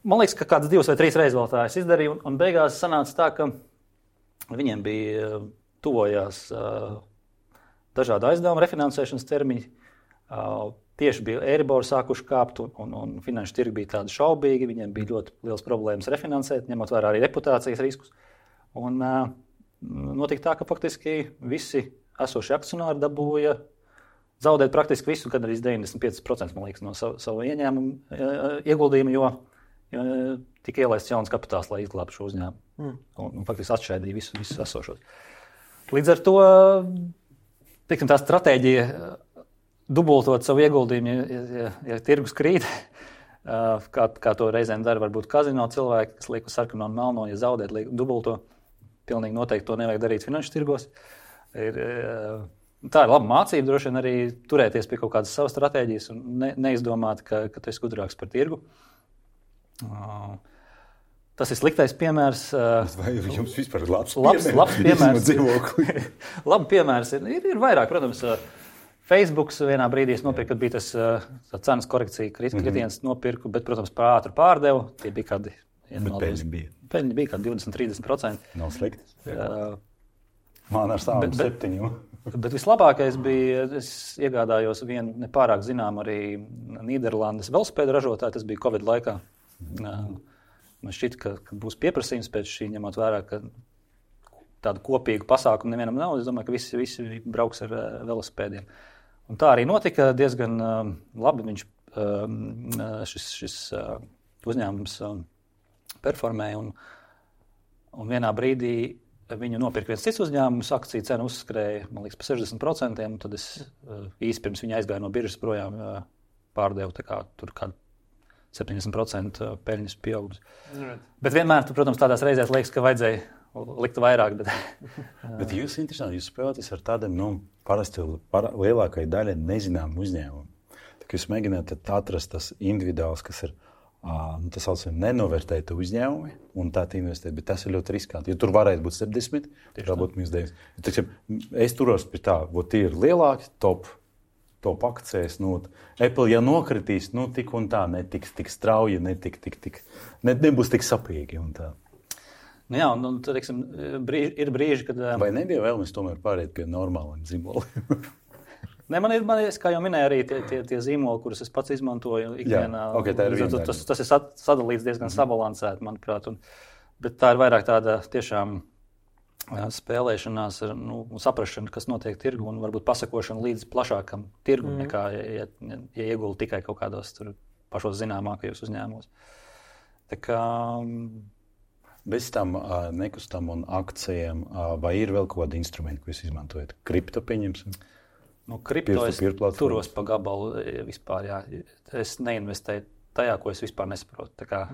Speaker 2: man liekas, ka kādas 2 vai 3 reizes vēl tā es izdarīju. Un beigās sanāca tā, ka viņiem bija tuvojās dažādi aizdevumi, refinansēšanas termiņi. Tieši bija Eiribor sākuši kāpt, un finanšu tirgi bija tādi šaubīgi. Viņiem bija ļoti liels problēmas refinansēt, ņemot vērā arī reputācijas riskus. Un notika tā, ka faktiski visi esošie akcionāri dabūja zaudēt praktiski visu, gan arī 95%, man liekas, no savu ieņēmumu ieguldījumu, jo tika ielaists jauns kapitāls, lai izglābtu šo uzņēmumu. Un faktiski atšķaidīja visus esošos. Līdz ar to, tā stratēģija dubultot savu ieguldījumu, ja tirgus krīt, kā to reizēm dara varbūt kazino cilvēki, kas liek uz sarkano un melno, ja zaudēt, liek dubulto. Pilnīgi noteikti to nevajag darīt finanšu tirgos. Tā ir laba mācība, droši vien arī turēties pie kaut kādas savas stratēģijas un neizdomāt, ka tu esi gudrāks par tirgu. Tas ir sliktais piemērs.
Speaker 3: Vai jums vispār ir labs
Speaker 2: piemērs? Labi piemērs ir vairāk, protams. Facebooks vienā brīdī es nopirku, kad bija tas cenas korekcija, kritiens nopirku, bet, protams, par ātru pārdevu. Tie bija kādi... Peļņi bija kādi 20-30%.
Speaker 3: Nav slikti. Man ar savām 7.
Speaker 2: Bet vislabākais bija, es iegādājos vienu nepārāk zinām arī Nīderlandes velosipēdu ražotāju, tas bija Covid laikā. Man šķiet, ka būs pieprasījums pēc šī, ņemot vērā, ka tādu kopīgu pasākumu nevienam nav. Es domāju, ka visi brauks ar velosipēdiem. Un tā arī notika diezgan labi. Šis uzņēmums performēja un vienā brīdī viņu nopirka viens cits uzņēmums, akciju cena uzskrēja, man liekas, par 60%, un tad es īsi pirms viņa aizgāju no biržas projām pārdevu, tā kā tur kādu 70% peļņas pieaugums. Bet vienmēr, protams, tādās reizēs liekas, ka vajadzēja likt vairāk.
Speaker 3: Bet jūs interesanti, jūs spēlēties ar tādiem, parasti lielākai daļai nezinām uzņēmumu. Tā kā jūs mēģināt atrast tas individuāls, kas ir Tas saucam nenovērtēt uzņēmumi un tā investēt, bet tas ir ļoti riskanti. Jo tur varētu būt 70, tur varbūt -9. Es turos pie tā, tie ir lielāki top akcijas. Apple, ja nokritīs, tik un tā netiks tik strauji, nebūs tik sapīgi un tā.
Speaker 2: Jā, un tad, ir brīži, kad...
Speaker 3: Vai nebija vēlmes tomēr pāriet pie normāliem zīmoliem?
Speaker 2: Ne, man ir, kā jau minēju, arī tie zīmoli, kurus es pats izmantoju ikdienā.
Speaker 3: Okay,
Speaker 2: tas ir sadalīts diezgan sabalansēti, manuprāt. Bet tā ir vairāk tāda tiešām spēlēšanās ar saprašanu, kas notiek tirgu, un varbūt pasakošana līdz plašākam tirgum, nekā ja iegulda tikai kaut kādos tur pašos zināmākajos uzņēmumos. Tā kā...
Speaker 3: Bez tam nekustam un akcijiem, vai ir vēl kaut kādi instrumenti, ko jūs izmantojat? Kripto pieņemsim?
Speaker 2: Kripto es turos pa gabalu vispār, jā. Es neinvestēju tajā, ko es vispār nesaprotu. Tā kā,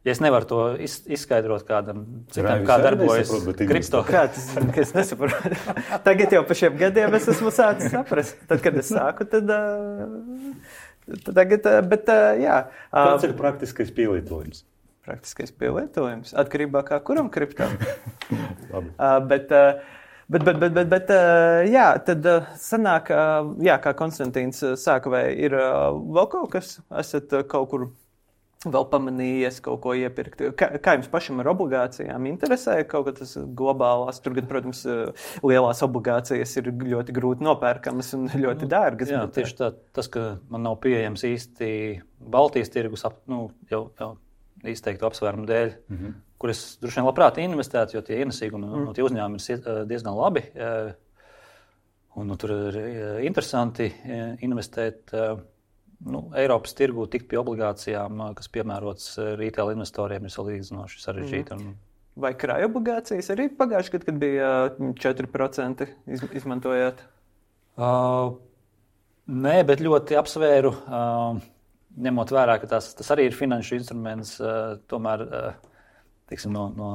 Speaker 2: ja es nevaru to izskaidrot kādam citam, kā darbojas kripto.
Speaker 1: Kā tas, ka es nesaprotu? Tagad jau pa šiem gadiem es esmu sācis saprast. Tad, kad es sāku, tad tagad, bet jā.
Speaker 3: Kāds ir praktiskais pielietojums?
Speaker 1: Praktiskais pielietojums. Atkarībā kā kuram kriptam. Bet jā, tad sanāk, jā, kā Konstantīns sāka, vai ir vēl kaut kas, esat kaut kur vēl pamanījies, kaut ko iepirkt? Kā jums pašam ar obligācijām interesē? Kaut kā tas globālās, tur, protams, lielās obligācijas ir ļoti grūti nopērkamas un ļoti dārgas.
Speaker 2: Jā, tieši tā, tas, ka man nav pieejams īsti Baltijas tirgus, jau izteiktu apsvērumu dēļ, kur es droši vien labprāt investētu, jo tie ienesīgumi no tie uzņēmumi ir diezgan labi. Un tur ir interesanti investēt Eiropas tirgū, tikt pie obligācijām, kas piemērots retail investoriem, ir salīdzinoši sarežģīti.
Speaker 1: Vai krāja obligācijas arī pagājuši gadu, kad bija 4% izmantojāt?
Speaker 2: Nē, bet ļoti apsvēru. Ņemot vērā, ka tas arī ir finanšu instruments, tomēr no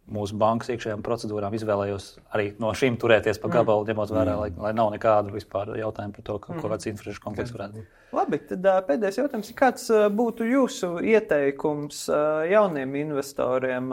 Speaker 2: mūsu bankas iekšējām procedūrām izvēlējos arī no šīm turēties pa gabalu, ņemot vērā, lai nav nekādu vispār jautājumu par to, ko kāds interešu konflikts varētu būt.
Speaker 1: Labi, tad pēdējais jautājums ir, kāds būtu jūsu ieteikums jauniem investoriem?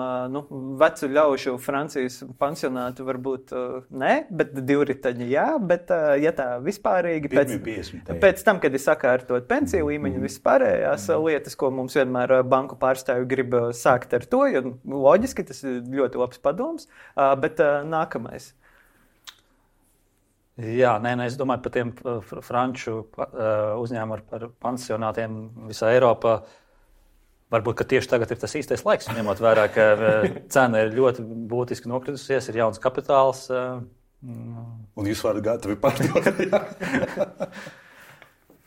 Speaker 1: Vecu ļaužu Francijas pansionātu varbūt ne, bet divriteņi jā, bet ja tā vispārīgi pēc tam, kad ir sakārtot pensiju līmeņu vispārējās lietas, ko mums vienmēr banku pārstāvju grib sākt ar to, jo loģiski tas ir ļoti labs padoms, bet nākamais.
Speaker 2: Jā, es domāju par tiem franču uzņēmumiem ar pansionātiem visā Eiropā. Varbūt, ka tieši tagad ir tas īstais laiks, ņemot vērā, ka cena ir ļoti būtiski nokritusies, ir jauns kapitāls.
Speaker 3: Un jūs varat gatavi pārdot.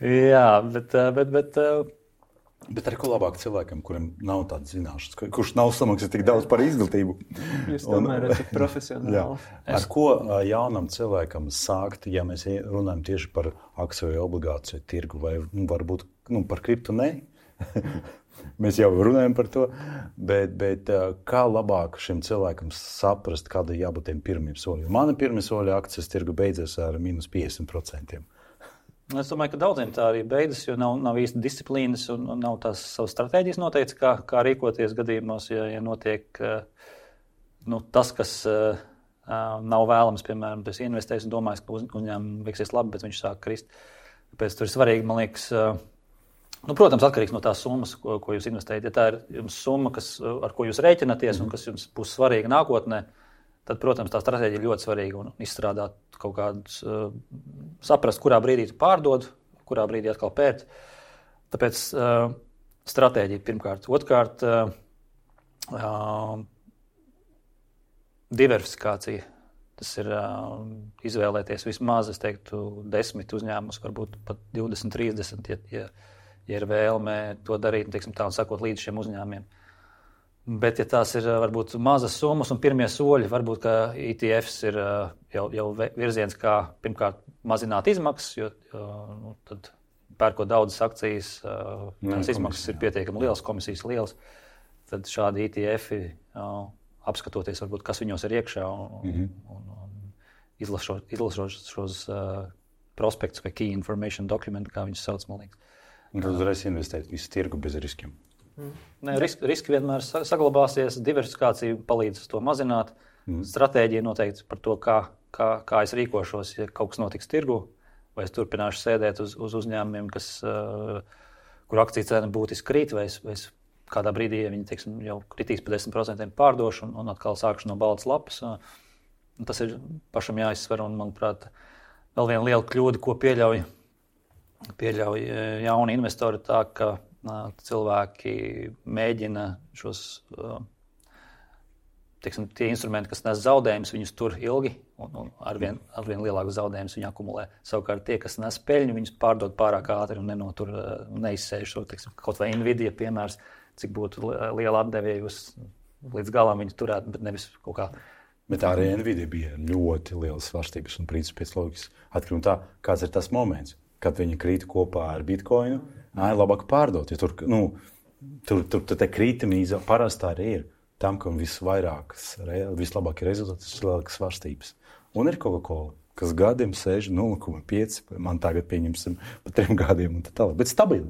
Speaker 2: Jā, bet
Speaker 3: Bet ar ko labāk cilvēkam, kuriem nav tādas zināšanas, kurš nav samaksājis tik daudz par izglītību?
Speaker 1: Jūs tomēr esat profesionāli.
Speaker 3: Ar ko jaunam cilvēkam sākt, ja mēs runājam tieši par akciju vai obligāciju tirgu, vai varbūt par kriptu ne? Mēs jau runājam par to, bet kā labāk šim cilvēkam saprast, kāda jābūt tiem pirmiem soļiem? Mani pirmie soļi akcijas tirgu beidzas ar minus 50%.
Speaker 2: Es domāju, ka daudziem tā arī beidzas, jo nav īsti disciplīnas un nav tās savas stratēģijas noteikts, kā rīkoties gadījumos, ja notiek tas, kas nav vēlams, piemēram, tas investējis un domājis, ka uzņēmumi veiksies labi, bet viņš sāk krist. Tāpēc tur ir svarīgi, man liekas, protams, atkarīgs no tās summas, ko jūs investējat. Ja tā ir jums summa, ar ko jūs rēķinaties un kas jums būs svarīga nākotnē, tad, protams, tā stratēģija ir ļoti svarīga un izstrādāt kaut kādus, saprast, kurā brīdī tu pārdod, kurā brīdī atkal pērt. Tāpēc stratēģija pirmkārt. Otrkārt, diversifikācija. Tas ir izvēlēties vismaz, es teiktu, 10 uzņēmumus, varbūt pat 20, 30, ja ir vēlme to darīt, teiksim, tā un sakot līdz šiem uzņēmumiem. Bet, ja tās ir varbūt mazas summas un pirmie soļi, varbūt, ka ETFs ir jau virziens, kā pirmkārt mazināt izmaksas, jo tad pērkot daudzas akcijas, tās izmaksas ir pietiekami lielas, komisijas lielas, tad šādi ETFi apskatoties, varbūt, kas viņos ir iekšā un izlasot šos prospektus vai key information document, kā viņus sauc, man liekas.
Speaker 3: Un tad uzreiz investēt visu tirgu bez riskiem.
Speaker 2: Ne, riski vienmēr saglabāsies, diversifikācija palīdz to mazināt. Stratēģija noteikti par to, kā es rīkošos, ja kaut kas notiks tirgu, vai es turpināšu sēdēt uz uzņēmumiem, kur akciju cena būtiski krīt, vai es kādā brīdī, ja viņi teiksim, jau kritīs par 10% pārdošu un atkal sākšu no baltas lapas. Tas ir pašam jāizsver, un, manuprāt, vēl viena liela kļūda, ko pieļauj jauni investori, tā, ka cilvēki mēģina šos, teiksim, tie instrumenti, kas nes zaudējumus, viņus tur ilgi, un arvien lielākus zaudējumus viņi akumulē. Savukārt tie, kas nes peļņu, viņus pārdod pārāk ātri un neizsēž šo, teiksim, kaut vai Nvidia piemērs, cik būtu liela atdeve, ja jūs līdz galam viņu turētu, bet nevis kaut kā.
Speaker 3: Bet arī Nvidia bija ļoti lielas svārstības un principā pēc loģikas atkarībā no tā, kāds ir tas moments, kad viņi krīt kopā ar Bitcoinu, labāk pārdot. Ja tur te krītumi parasti arī ir tam, kam vislabākie rezultāti, vislabākās svārstības. Un ir Coca-Cola, kas gadiem sēž 0,5, man tagad pieņemsim pa 3 gadiem un tā tālāk. Bet stabili.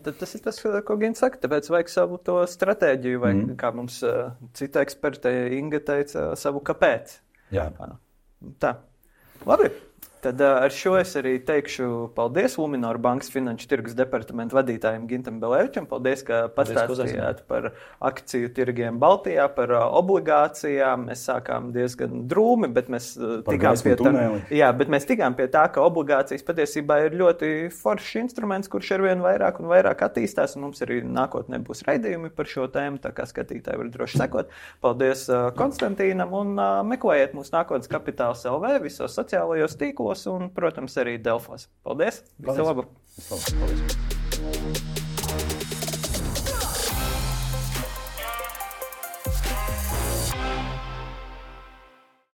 Speaker 1: Tas ir tas, ko Gins saka, tāpēc vajag savu to stratēģiju, vai kā mums cita eksperta Inga teica, savu kāpēc.
Speaker 3: Jā.
Speaker 1: Tā. Labi. Tad ar šo es arī teikšu paldies Luminor bankas finanšu tirgus departamenta vadītājiem Gintam Belēvičam. Paldies, ka pastāstījāt par akciju tirgiem Baltijā, par obligācijām. Mēs sākām diezgan drūmi, bet mēs tikām pie tā, ka obligācijas patiesībā ir ļoti foršs instruments, kurš arvien vairāk un vairāk attīstās, un mums arī nākotnē būs raidījumi par šo tēmu, tā kā skatītāji var droši sekot. Paldies Konstantīnam un meklējiet mūsu Nākotnes Kapitāls LV visos sociālajos tīklos un, protams, arī Delfos. Paldies! Visu labu!
Speaker 3: Paldies!